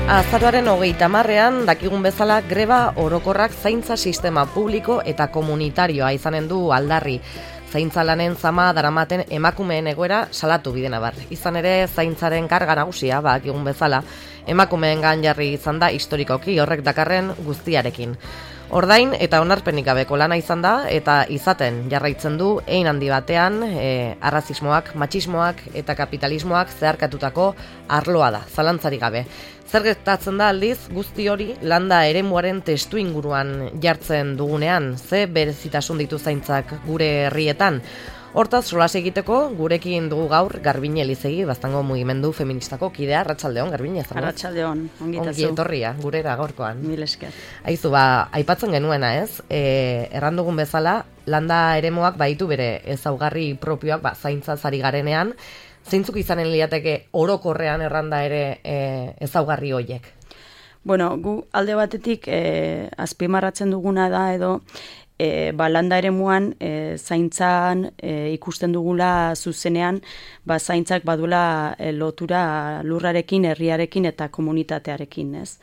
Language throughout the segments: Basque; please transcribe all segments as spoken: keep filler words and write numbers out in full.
Azaroaren hogeita hamarrean dakigun bezala greba orokorrak zaintza sistema publiko eta komunitarioa izanen du aldarri. Zaintza lanen zama daramaten emakumeen egoera salatu bidena bar. Izan ere zaintzaren karga nagusia dakigun bezala emakumeengan jarri izan da historikoki horrek dakarren guztiarekin. Ordain eta onarpenik gabeko lana izan da eta izaten jarraitzen du hein handi batean e, arrazismoak, matxismoak eta kapitalismoak zeharkatutako arloa da, zalantzarik gabe. Zer gertatzen da aldiz guzti hori landa eremuaren testu inguruan jartzen dugunean, ze berezitasun ditu zaintzak gure herrietan. Hortaz, solas egiteko, gurekin dugu gaur Garbine Elizegi, Baztango mugimendu feministako kidea. Arratsaldeon, Garbine. Arratsaldeon, ongitazu. Ongi etorria, gurera gaurkoan. Mil esker. Aizu, ba, aipatzen genuena ez, e, errandugun bezala, landa eremuak baitu bere ezaugarri propioak, ba, zaintzaz ari garenean, zeintzuk izanen liateke orokorrean erranda ere e, ezaugarri hoiek? Bueno, gu alde batetik e, azpimarratzen duguna da edo E, ba, landa eremuan e, zaintzan e, ikusten dugula zuzenean, ba, zaintzak badula e, lotura lurrarekin, herriarekin eta komunitatearekin, ez?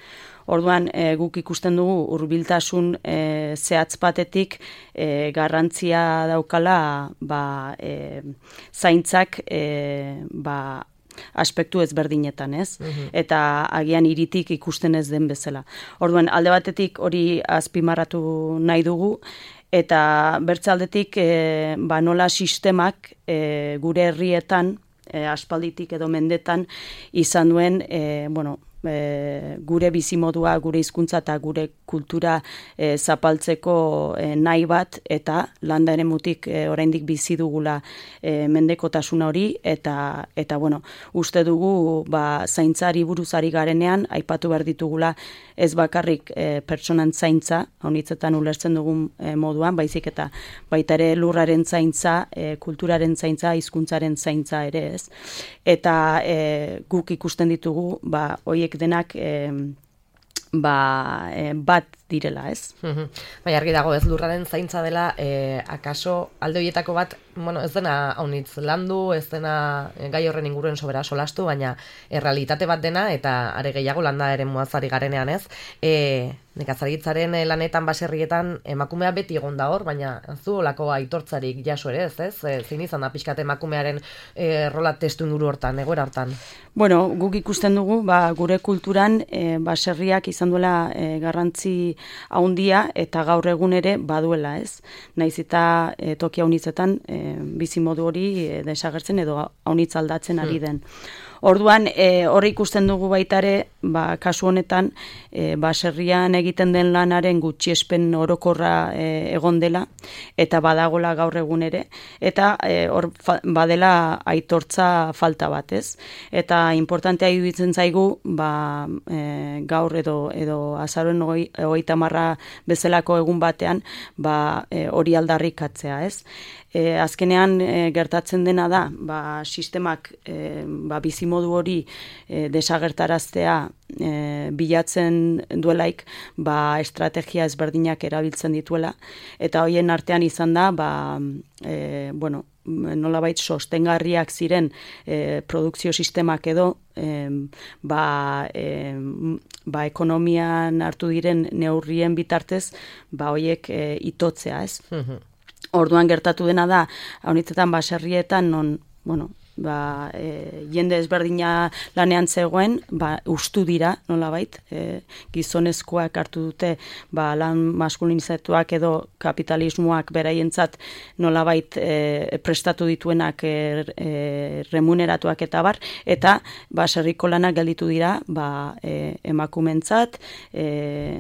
Orduan, e, guk ikusten dugu hurbiltasun e, zehatz batetik e, garrantzia daukala ba, e, zaintzak e, ba, aspektu ezberdinetan, ez? Mm-hmm. Eta agian hiritik ikusten ez den bezala. Orduan, alde batetik hori azpimarratu nahi dugu, eta bertze aldetik e, ba, nola sistemak e, gure herrietan, e, aspalditik edo mendetan, izan duen, e, bueno, E, gure bizimodua, gure hizkuntza eta gure kultura e, zapaltzeko e, nahi bat eta landa eremutik e, oraindik bizi dugula e, mendekotasuna hori eta eta bueno, uste dugu ba zaintzari buruzari garenean aipatu behar ditugula ez bakarrik e, pertsonan zaintza, honitzetan ulertzen dugun e, moduan, baizik eta baita ere lurraren zaintza, e, kulturaren zaintza, hizkuntzaren zaintza ere, ez. Eta e, guk ikusten ditugu ba hoiek denak e, ba, e, bat direla, ez? Bai, argi dago, ez lurraren zaintza dela, e, akaso alde horietako bat, bueno, ez dena haunitz landu, ez dena gai horren inguruen sobera solastu, baina errealitate bat dena, eta are gehiago landa ere muazari garenean, ez? E, nekazaritzaren lanetan baserrietan emakumea beti egon da hor, baina ez du olako aitortzarik jaso ere, ez, ez? E, zein izan da pixkat emakumearen e, rola testu inguru hortan, egoera hortan? Bueno, guk ikusten dugu, ba, gure kulturan e, baserriak izan duela e, garrantzi haundia eta gaur egun ere baduela, ez? Naiz eta e, toki haunitzetan e, bizimodu hori e, desagertzen edo haunitz aldatzen ari den. Orduan, e, horri ikusten dugu baita ere, ba, kasu honetan, e, baserrian egiten den lanaren gutxiespen orokorra e, egon dela, eta badagola gaur egun ere, eta e, hor fa, badela aitortza falta bat, ez? Eta importantea iruditzen zaigu, ba, e, gaur edo, edo azaroen hogeita marra bezalako egun batean, ba, e, hori aldarrikatzea, ez? E, azkenean e, gertatzen dena da, ba, sistemak e, ba, bizimodu hori e, desagertaraztea e, bilatzen duelaik, ba, estrategia ezberdinak erabiltzen dituela, eta hoien artean izan da, ba, e, bueno, nolabait sostengarriak ziren e, produkzio sistemak edo e, ba, e, ba, ekonomian hartu diren neurrien bitartez, ba, hoiek e, itotzea, ez? Orduan gertatu dena da, honitzetan baserrietan non, bueno, ba, e, jende ezberdina lanean zegoen, ba, ustu dira, nolabait, e, gizonezkoak hartu dute, ba, lan maskulinizatuak edo kapitalismoak beraientzat nolabait e, prestatu dituenak e, e, remuneratuak eta bar, eta baserriko lanak gelditu dira, ba, e, emakumentzat, e,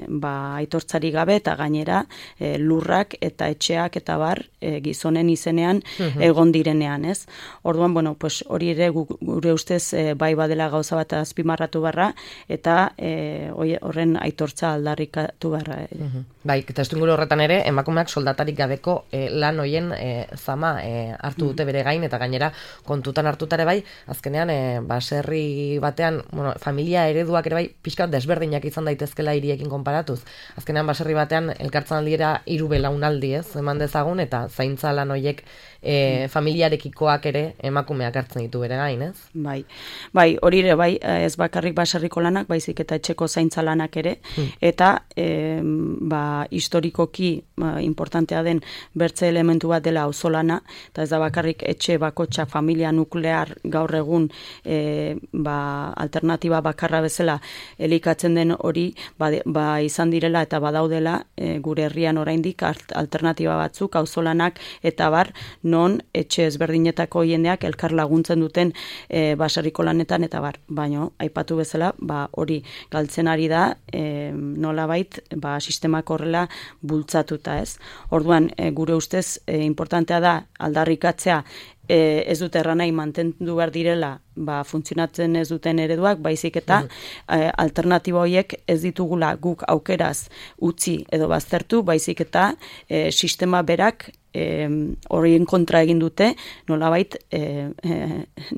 ba, aitortzari gabe eta gainera e, lurrak eta etxeak eta bar e, gizonen izenean egon direnean, ez? Orduan, bueno, pues hori ere gure ustez e, bai badela gauza bat azpimarratu barra eta e, horren aitortza aldarrikatu barra. E. Uh-huh. Bai, testuinguru horretan ere emakumeak soldatarik gabeko e, lan hoien e, zama e, hartu dute bere gain eta gainera kontutan hartutare bai, azkenean e, baserri batean, bueno, familia ereduak ere bai pixkat desberdinak izan daitezkela hiriekin konparatuz. Azkenean baserri batean elkartzen aldiera hiru belaunaldi, ez, eman dezagun eta zaintza lan hoiek e, familiarekikoak ere emakumeak hartzen ditu bere gain, ez? Bai, bai, hori ere, bai, ez bakarrik baserriko lanak, baizik eta etxeko zaintza lanak ere, hmm. eta e, ba, historikoki ba, importantea den bertze elementu bat dela auzolana, eta ez da bakarrik etxe bakotxa familia nuklear gaur egun e, ba, alternatiba bakarra bezala elikatzen den hori, ba, ba izan direla eta badaudela e, gure herrian oraindik alternatiba batzuk, auzolanak eta bar, non etxe ezberdinetako jendeak elkar laguntzen duten e, baserriko lanetan eta bar, baino aipatu bezala, ba hori galtzen ari da, e, nolabait, ba sistemak horrela bultzatuta, ez? Orduan, e, gure ustez e, importantea da aldarrikatzea E, ez dute erranai mantendu behar direla ba, funtzionatzen ez duten ereduak, baizik eta mm. e, alternatiba horiek ez ditugula guk aukeraz utzi edo baztertu, baizik eta e, sistema berak e, horien kontra egin dute, nolabait e, e,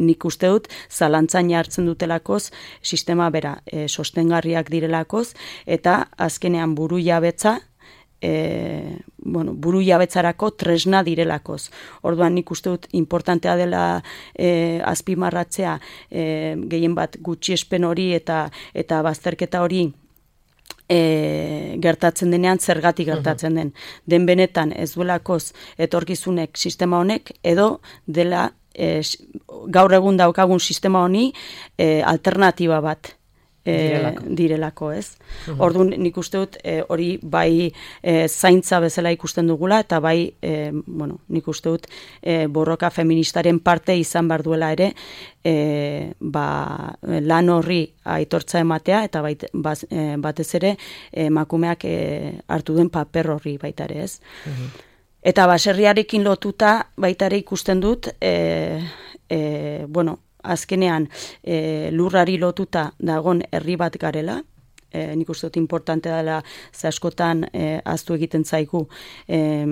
nik uste dut zalantzan hartzen dutelakoz sistema bera e, sostengarriak direlakoz, eta azkenean buru jabetza E, bueno, buru jabetzarako tresna direlakoz. Orduan nik uste dut importantea dela e, azpimarratzea e, gehien bat gutxiespen hori eta eta bazterketa hori E, gertatzen denean zergatik gertatzen den. Den benetan ez duelakoz etorkizunek sistema honek edo dela e, gaur egun daukagun sistema honi e, alternatiba bat direlako, e, direlako ez. Uhum. Orduan nik uste dut e, hori bai e, zaintza bezala ikusten dugula eta bai e, bueno, nik uste dut e, borroka feministaren parte izan behar duela ere e, ba, lan horri aitortza ematea eta bait, baz, e, batez ere emakumeak e, hartu den paper horri baita ere ez. Uhum. Eta baserriarekin lotuta baita ere ikusten dut e, e, bueno, azkenean e, lurrari lotuta dagon herri bat garela, e, nik uste dut importante dela ze askotan e, ahaztu egiten zaigu e,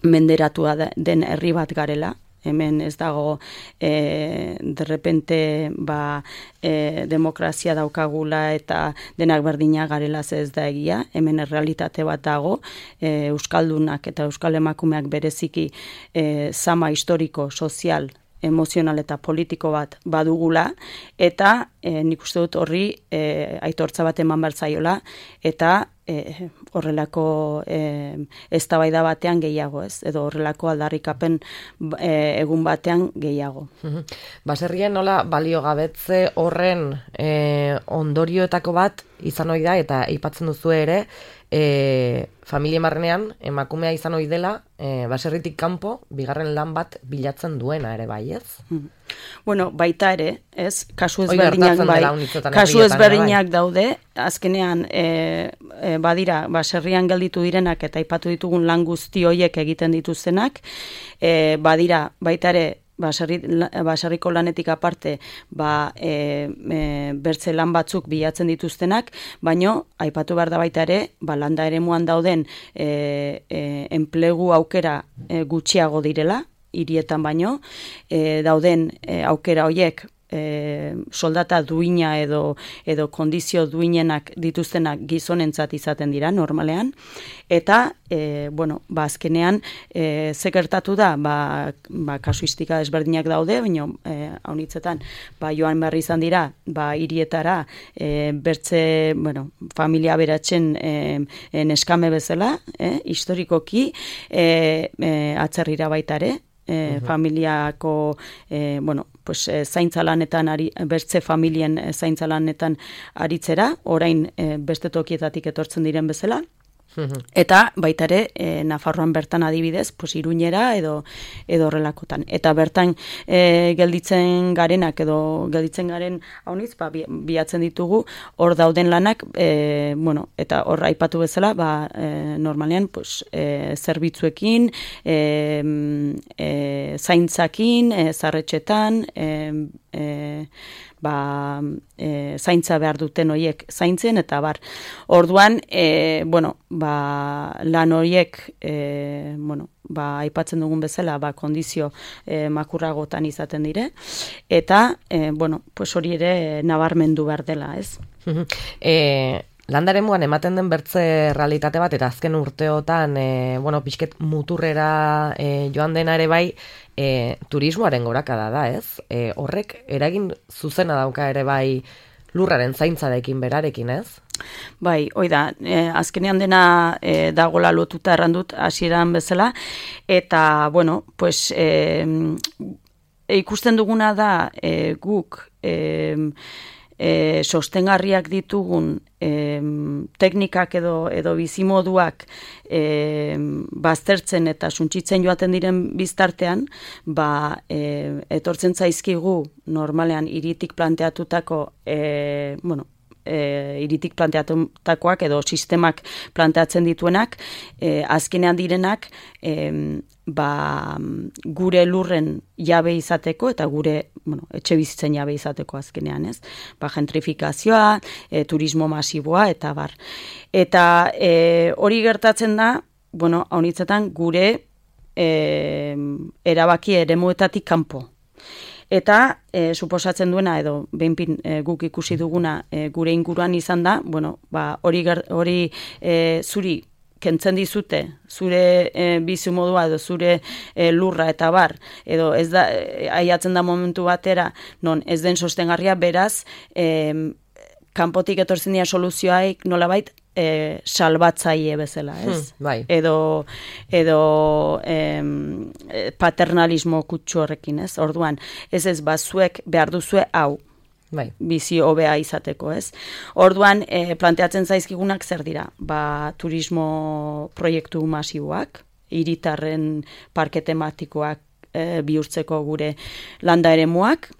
menderatua den herri bat garela, hemen ez dago e, derrepente ba, e, demokrazia daukagula eta denak berdina garela ez da egia, hemen errealitate bat dago, e, euskaldunak eta euskal emakumeak bereziki e, zama historiko, sozial, emozional eta politiko bat badugula, eta e, nik uste dut horri e, aitortza bat eman behar zaiola, eta e, horrelako e, eztabaida batean gehiago, ez? Edo horrelako aldarrikapen e, egun batean gehiago. Baserrien nola baliogabetze horren e, ondorioetako bat izan ohi da, eta aipatzen duzu ere, E, familia marrenean emakumea izan ohi dela e, baserritik kanpo bigarren lan bat bilatzen duena ere bai, ez? Hmm. Bueno, baita ere, ez? Kasu ezberdinak bai, kasu ezberdinak daude, azkenean e, e, badira baserrian gelditu direnak eta aipatu ditugun lan guzti horiek egiten dituztenak, e, badira baita ere Baserri, baserriko lanetik aparte ba, e, e, bertze lan batzuk bilatzen dituztenak, baino aipatu behar da baita ere, ba, landa eremuan dauden e, e, enplegu aukera e, gutxiago direla, hirietan baino, e, dauden e, aukera horiek E, soldata duina edo edo kondizio duinenak dituztenak gizonentzat izaten dira normalean, eta e, bueno, ba azkenean e, ze gertatu da, ba, ba kasuistika desberdinak daude, baina e, haunitzetan ba joan behar izan dira ba hirietara e, bertze, bueno, familia beratzen e, e, neskame bezala, e, historikoki e, e, atzerrira baita ere, E, uh-huh. familiako e, bueno, pues, e, zaintza lanetan ari, bertze familien e, zaintza lanetan aritzera, orain e, beste tokietatik etortzen diren bezala. Eta baita ere e, Nafarroan bertan adibidez, pues Iruñera edo edo horrelakotan. Eta bertan e, gelditzen garenak edo gelditzen garen haunitz, ba, bilatzen ditugu hor dauden lanak, e, bueno, eta hor aipatu bezala, ba, e, normalean pues, e, zerbitzuekin, e, e, zaintzakin, e, zarretxetan, e, e, ba, e, zaintza behar duten horiek zaintzen, eta bar. Orduan, e, bueno, ba, lan horiek, e, bueno, ba, aipatzen dugun bezala, ba, kondizio e, makurragotan izaten dire, eta, e, bueno, pues hori ere nabarmendu behar dela, ez? e, Landaremuan ematen den bertze realitate bat, eta azken urteotan, e, bueno, pixket muturrera e, joan dena ere bai, e, turismoaren gorakada da, ez? E, horrek eragin zuzena dauka ere bai lurraren zaintzarekin berarekin, ez? Bai, hoi da, e, azkenean dena e, dagola lotuta errandut hasieran bezala, eta, bueno, pues, e, e, ikusten duguna da e, guk e, e, sostengarriak ditugun e, teknikak edo, edo bizimoduak e, baztertzen eta suntsitzen joaten diren biztartean, ba, e, etortzen zaizkigu normalean hiritik planteatutako, e, bueno, E, iritik planteatutakoak edo sistemak planteatzen dituenak, e, azkenean direnak e, ba, gure lurren jabe izateko eta gure, bueno, etxe bizitzen jabe izateko azkenean, ez? Ba, gentrifikazioa, e, turismo masiboa eta bar. Eta e, hori gertatzen da, bueno, honitzetan gure e, erabaki eremuetatik kanpo. Eta e, suposatzen duena edo behinpin e, guk ikusi duguna e, gure inguruan izan da, bueno, ba, hori, hori e, zuri kentzen dizute, zure e, bizimodua edo zure e, lurra eta bar, edo ez da, e, aiatzen da momentu batera, non ez den sostengarria, beraz, e, kanpotik etortzen dira soluzioaik nolabait, E, salbatzaile bezala, ez? Hmm, bai. Edo, edo em, paternalismo kutsu horrekin, ez? Orduan, ez ez, bazuek behar duzue hau, bai, bizi hobea izateko, ez? Orduan, e, planteatzen zaizkigunak zer dira? Ba, turismo proiektu masiboak, hiritarren parke tematikoak e, bihurtzeko gure landa eremuak,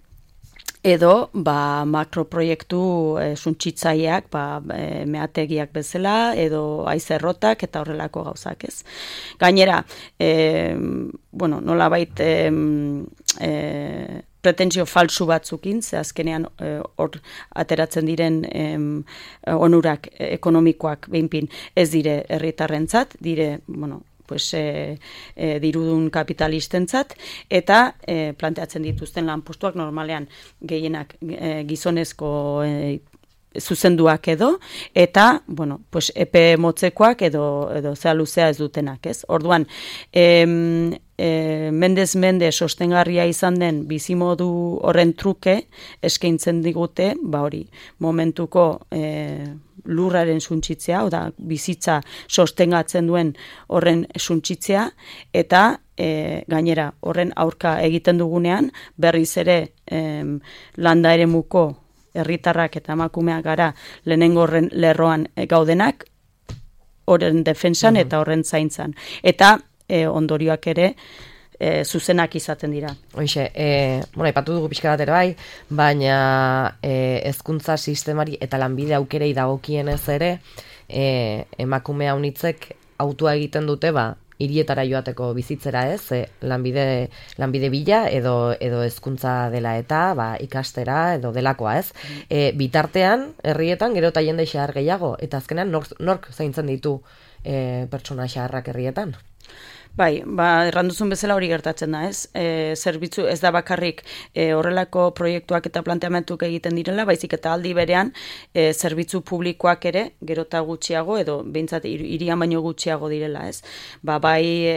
edo ba, makroproiektu e, suntsitzaileak, ba, e, meategiak bezala, edo aizerrotak eta horrelako gauzak, ez. Gainera, e, bueno, nolabait e, e, pretensio falsu batzukin, ze azkenean hor e, ateratzen diren e, onurak ekonomikoak behinpin ez dire herritarrentzat, dire, bueno, pues, e, e, dirudun kapitalistentzat, eta e, planteatzen dituzten lanpostuak normalean gehienak e, gizonezko e, zuzenduak edo, eta, bueno, pues, epe motzekoak edo, edo zea luzea ez dutenak, ez? Orduan, em, e, mendez mende sostengarria izan den bizimodu horren truke eskaintzen digute, ba hori, momentuko e, lurraren suntsitzea, oda bizitza sostengatzen duen horren suntsitzea, eta e, gainera horren aurka egiten dugunean, berriz ere em, landa eremuko herritarrak eta emakumeak gara lehenengo horren lerroan gaudenak, horren defensan mm-hmm. eta horren zaintzan. Eta e, ondorioak ere E, zuzenak izaten dira. Hoixe, e, bueno, ipatu dugu pixka bat ere bai, baina e, hezkuntza sistemari eta lanbide aukerei dagokienez ere, e, emakume haunitzek autua egiten dute, ba, hirietara joateko bizitzera, ez? E, lanbide, lanbide bila edo edo hezkuntza dela eta, ba, ikastera edo delakoa, ez? E, bitartean, herrietan gero eta jende xahar gehiago, eta azkenean nork, nork zaintzen ditu e, pertsona xaharrak herrietan? Bai, ba, erranduzun bezala hori gertatzen da, ez? E, zerbitzu ez da bakarrik e, horrelako proiektuak eta planteamentuk egiten direla, baizik eta aldi berean e, zerbitzu publikoak ere, gerota gutxiago, edo behintzat hirian baino gutxiago direla, ez? Ba, bai e,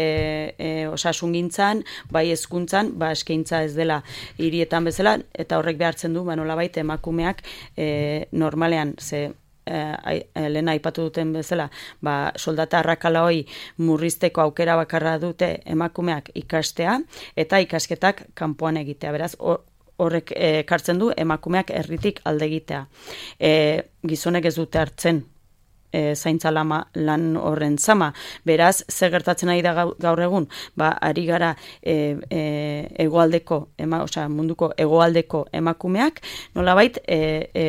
e, osasungintzan, bai hezkuntzan, ba, eskaintza ez dela hirietan bezala, eta horrek behartzen du, ba, nolabait emakumeak e, normalean, ze Eh, lehen aipatu duten bezala, ba, soldata arrakala hoi murrizteko aukera bakarra dute emakumeak ikastea, eta ikasketak kanpoan egitea. Beraz, horrek ekartzen du emakumeak herritik alde egitea. E, gizonek ez dute hartzen E, zaintza lama, lan horren zama. Beraz, zer gertatzen ari da gaur egun? Ba, ari gara e, e, egoaldeko, ema, osea, munduko egoaldeko emakumeak, nolabait e, e,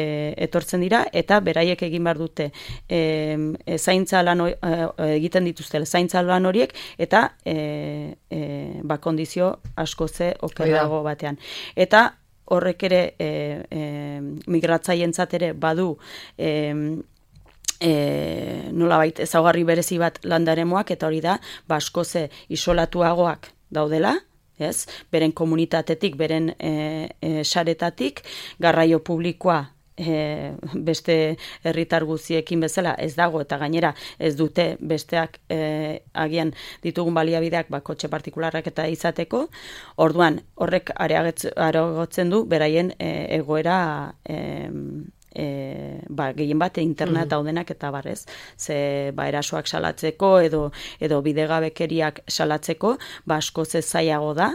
etortzen dira, eta beraiek egin behar dute e, e, zaintza lan e, egiten dituzte, zaintza lan horiek, eta e, e, ba, kondizio asko ze okerrago batean. Eta horrek ere e, e, migratzaientzat ere badu e, E, nolabait ezaugarri berezi bat landaremoak, eta hori da, basko ze isolatuagoak daudela, ez? Beren komunitatetik, beren e, e, saretatik, garraio publikoa e, beste herritar guztiekin bezala ez dago, eta gainera ez dute besteak e, agian ditugun baliabideak ba, kotxe partikularrak eta izateko, orduan horrek areagotzen du beraien e, egoera e, E, ba, gehien bat internet daudenak eta barrez, ze ba, erasoak salatzeko edo, edo bidegabekeriak salatzeko, ba, askoz ez zailago da,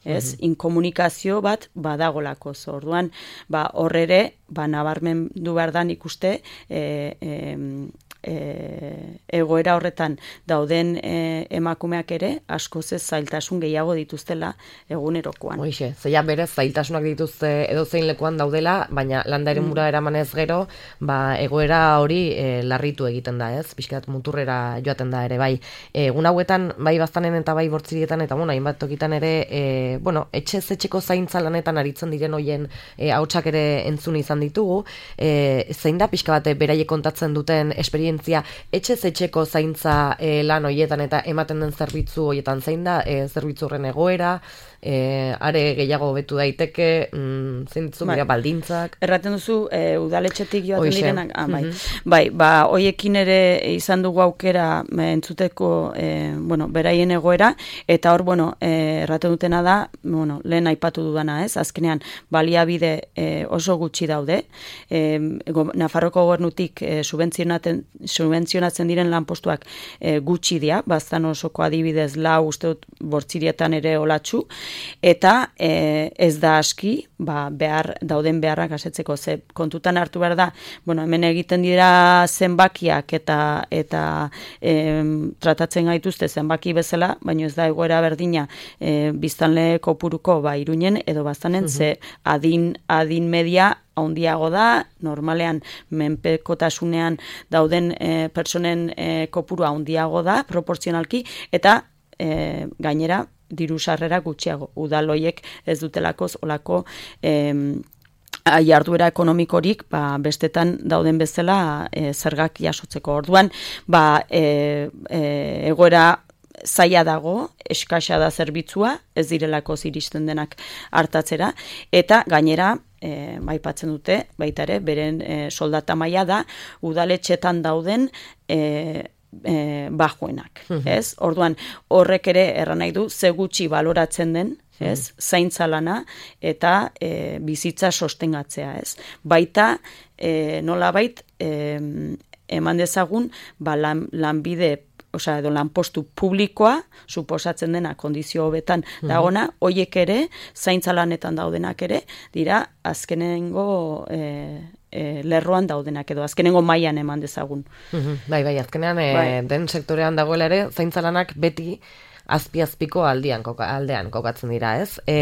ez, mm-hmm. inkomunikazio bat badagolako, orduan, ba, horrere, ba, nabarmen du behar da nik uste, e, e, E, egoera horretan dauden e, emakumeak ere askoz ez zailtasun gehiago dituztela egunerokoan. Hoixe, zeia berez zailtasunak dituzte edo zein lekuan daudela, baina landa eremura mm. eramanez gero, ba, egoera hori e, larritu egiten da, ez? Pixkat muturrera joaten da ere, bai. Egun hauetan, bai baztanen eta bai bortzirietan, eta bueno, hainbat tokitan ere, e, bueno, etxez etxeko zaintza lanetan aritzen diren hoien e, ahotsak ere entzun izan ditugu, e, zein da pixka bate beraiek kontatzen duten esperientzia etxez etxeko zaintza e, lan hoietan eta ematen den zerbitzu hoietan zein da, e, zerbitzu horren egoera, e, are gehiago betu daiteke, mm, zein ditzu, bai. Baldintzak. Erraten duzu, e, udaletxetik joaten Oixe. direnak, ah, bai. Mm-hmm. bai, ba, hoiekin ere izan dugu aukera entzuteko, e, bueno, beraien egoera, eta hor, bueno, e, erraten dutena da, bueno, lehen aipatu dudana, ez, azkenean, baliabide e, oso gutxi daude, e, go, Nafarroko gobernutik e, subentzionaten subentzionatzen diren lanpostuak e, gutxi dira, baztan osoko adibidez lau uste dut bortzirietan ere olatxu, eta e, ez da aski, ba, behar, dauden beharrak asetzeko, ze kontutan hartu behar da, bueno, hemen egiten dira zenbakiak eta eta e, tratatzen gaituzte zenbaki bezala, baina ez da egoera berdina e, biztanle kopuruko ba, Iruñen edo baztanen, uh-huh. ze adin, adin media handiago da, normalean menpekotasunean dauden e, pertsonen e, kopurua handiago da, proportzionalki, eta e, gainera diru sarrera gutxiago. Udaloiek ez dutelakoz olako e, jarduera ekonomikorik ba, bestetan dauden bezala e, zergak jasotzeko. Orduan, ba, e, e, egoera zaila dago, eskasa da zerbitzua, ez direlako iristen denak hartatzera, eta gainera, E, baipatzen dute, baita ere, beren e, soldata maila da, udaletxetan dauden e, e, bajoenak, uh-huh. ez? Orduan, horrek ere erran nahi du, ze gutxi baloratzen den, ez? Uh-huh. Zaintza lana eta e, bizitza sostengatzea, ez? Baita, e, nolabait, e, eman dezagun, ba, lan, lanbide osea, edo lanpostu publikoa, suposatzen dena kondizio hobetan dagona, mm-hmm. hoiek ere, zaintza lanetan daudenak ere, dira, azkenengo e, e, lerroan daudenak edo, azkenengo mailan eman dezagun. Mm-hmm. Bai, bai, azkenean, e, bai. den sektorean dagoela ere, zaintza lanak beti azpi-azpiko aldean, koka, aldean kokatzen dira, ez? E,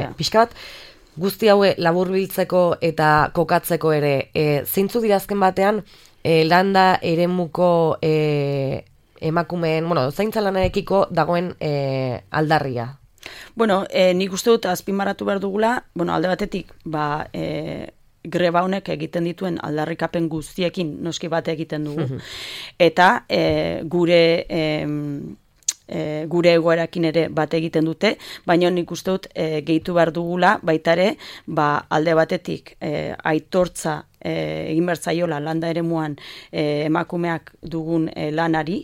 oh, pixka bat, guzti haue laburbiltzeko eta kokatzeko ere, e, zeintzu dira azken batean, e, landa eremuko e, emakumeen, bueno, zaintza lanarekiko dagoen e, aldarria. Bueno, e, nik uste dut azpimarratu behar dugula, bueno, alde batetik, ba, e, greba honek egiten dituen aldarrikapen guztiekin noski bat egiten dugu. Eta e, gure... E, E, gure egoerakin ere bat egiten dute, baina nik uste dut e, gehitu behar dugula, baita ere, ba, alde batetik e, aitortza e, egin bertzaiola landa eremuan e, emakumeak dugun e, lanari,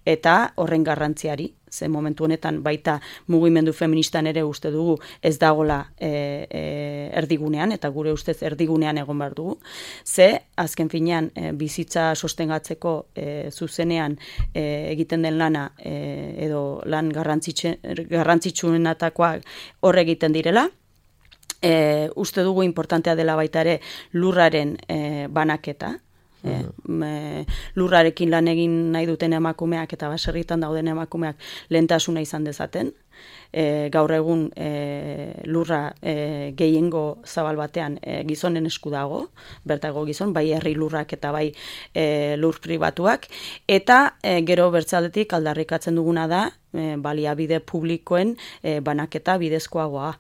eta horren garrantziari, ze momentu honetan baita mugimendu feministan ere uste dugu ez dagola e, e, erdigunean, eta gure ustez erdigunean egon behar dugu. Ze, azken finean, e, bizitza sostengatzeko e, zuzenean e, egiten den lana e, edo lan garrantzitsuenetakoa hor egiten direla, e, uste dugu importantea dela baita ere lurraren e, banaketa, E, me, lurrarekin lan egin nahi duten emakumeak eta baserritan dauden emakumeak lehentasuna izan dezaten. E, gaur egun e, lurra e, gehiengo zabal batean e, gizonen esku dago, bertago gizon, bai herri lurrak eta bai e, lur pribatuak, eta e, gero bertzaldetik aldarrikatzen duguna da e, baliabide publikoen e, banaketa bidezkoagoa.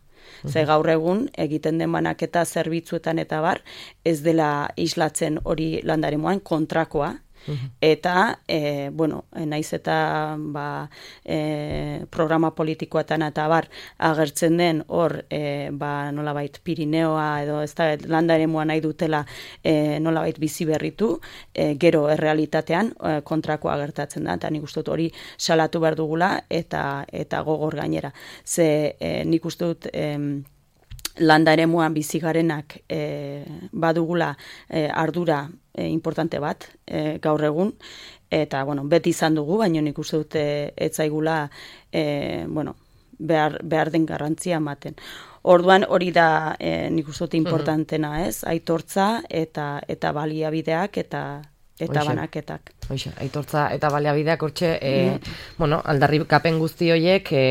Ze gaur egun egiten den banaketa zerbitzuetan eta bar, ez dela islatzen hori landaremoan kontrakoa, Eta, e, bueno, naiz eta ba, e, programa politikoetan eta bar agertzen den hor e, ba, nolabait Pirineoa edo ez da landa eremua nahi dutela e, nolabait bizi berritu, e, gero errealitatean e, kontrakoa gertatzen da, eta nik uste dut hori salatu behar dugula eta, eta gogor gainera. Ze e, nik uste dut... E, landa eremuan bizi garenak e, badugula e, ardura e, importante bat e, gaur egun, eta bueno, beti izan dugu, baina nik uste dut e, ez zaigula e, bueno, behar, behar den garrantzia ematen. Orduan hori da e, nik uste dut importantena, ez? Aitortza eta eta baliabideak eta eta Oixe. banaketak. Oixe, aitortza eta baliabideak hortxe, e, mm. bueno, aldarrikapen guzti horiek e,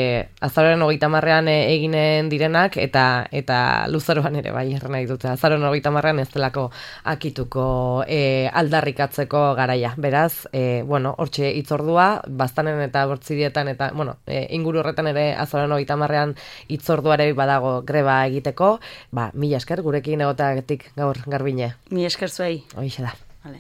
azaroaren hogeita hamarrean e, eginen direnak eta eta luzaroan ere bai erren nahi dute. Azaroaren hogeita hamarrean ez delako akituko e, aldarrikatzeko garaia. Beraz, e, bueno, hortxe hitzordua, baztanen eta bortzidietan eta, bueno, e, inguru horretan ere azaroaren hogeita hamarrean hitzorduare badago greba egiteko, ba, mila esker gurekin egoteagatik gaur Garbine. Mila esker zuei. Hoixe da. Vale.